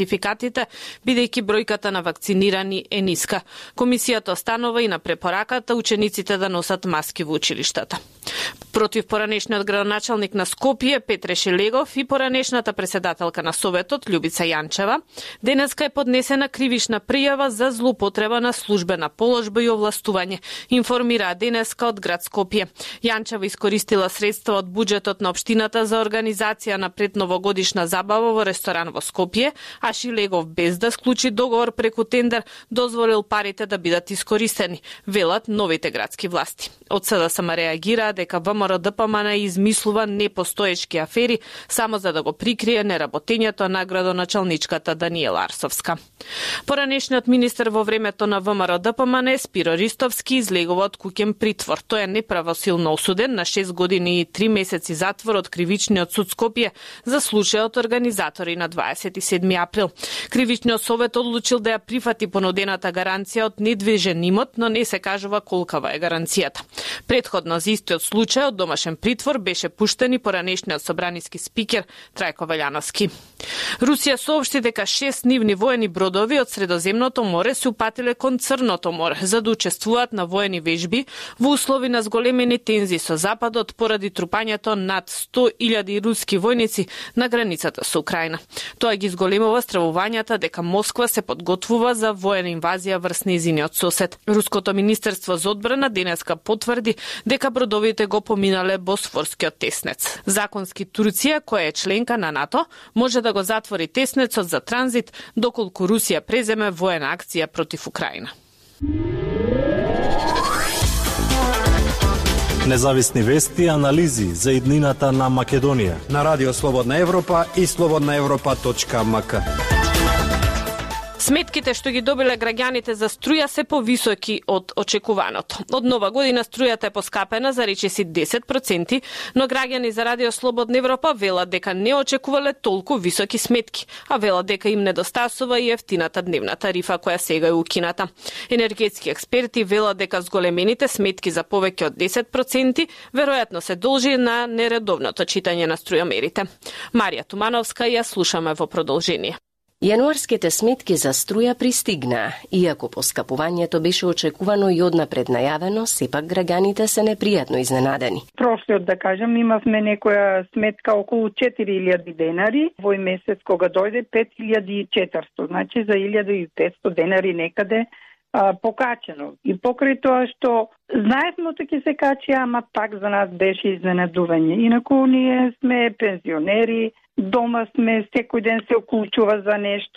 сертификатите, бидејќи бројката на вакцинирани е ниска. Комисијата останува и на препораката учениците да носат маски во училиштата. Против поранешниот градоначалник на Скопје Петре Шелегов и поранешната председателка на Советот Љубица Јанчева, денеска е поднесена кривична пријава за злоупотреба на службена положба и овластување, информира денеска од град Скопје. Јанчева искористила средства од буџетот на општината за организација на предновогодишна забава во ресторан во Скопје, а Шелегов без да склучи договор преку тендер дозволил парите да бидат искористени, велат новите градски власти. Од СДСМ реагира дека ВМРО-ДПМН измислува непостоечки афери само за да го прикрие неработењето на градоначалничката Даниела Арсовска. Поранешниот министер во времето на ВМРО-ДПМН Спиро Ристовски излегува од куќен притвор. Тој е неправосилно осуден на 6 години и 3 месеци затвор од Кривичниот суд Скопје за случајот организатори на 27 април. Кривичниот совет одлучил да ја прифати понудената гаранција од недвижен имот, но не се кажува колкава е гаранцијата. Претходно за истиот случај од домашен притвор беше пуштен и поранешниот собраниски спикер Трајко Велјановски. Русија соопшти дека 6 нивни воени бродови од Средоземното море се упатиле кон Црното море за да учествуваат на воени вежби во услови на зголемени тензии со Западот поради трупањето над 100.000 руски војници на границата со Украина. Тоа ги зголемува стравувањата дека Москва се подготвува за воена инвазија врз нејзиниот сосед. Руското министерство за одбрана денеска потврди дека бродовите го поминале Босфорскиот теснец. Законски Турција, која е членка на НАТО, може да го затвори теснецот за транзит доколку Русија преземе воена акција против Украина. Независни вести и анализи за иднината на Македонија на Радио Слободна Европа и slobodnaevropa.mk. Сметките што ги добиле граѓаните за струја се повисоки од очекуваното. Од нова година струјата е поскапена за речиси 10%, но граѓани за Радио Слободна Европа велат дека не очекувале толку високи сметки, а велат дека им недостасува и ефтината дневна тарифа која сега е укината. Енергетски експерти велат дека зголемените сметки за повеќе од 10% веројатно се должи на нередовното читање на струјомерите. Марија Тумановска ја слушаме во продолжение. Јануарските сметки за струја пристигнаа. Иако поскапувањето беше очекувано и однапред најавено, сепак граѓаните се непријатно изненадени. Прошлиот, да кажем, имавме некоја сметка околу 4000 денари, овој месец кога дојде 5400, значи за 1500 денари некаде покачено. И покрај тоа што знаевме ќе се качи, ама пак за нас беше изненадување. Инаку ние сме пензионери, дома сме, секој ден се уклучува за нешто,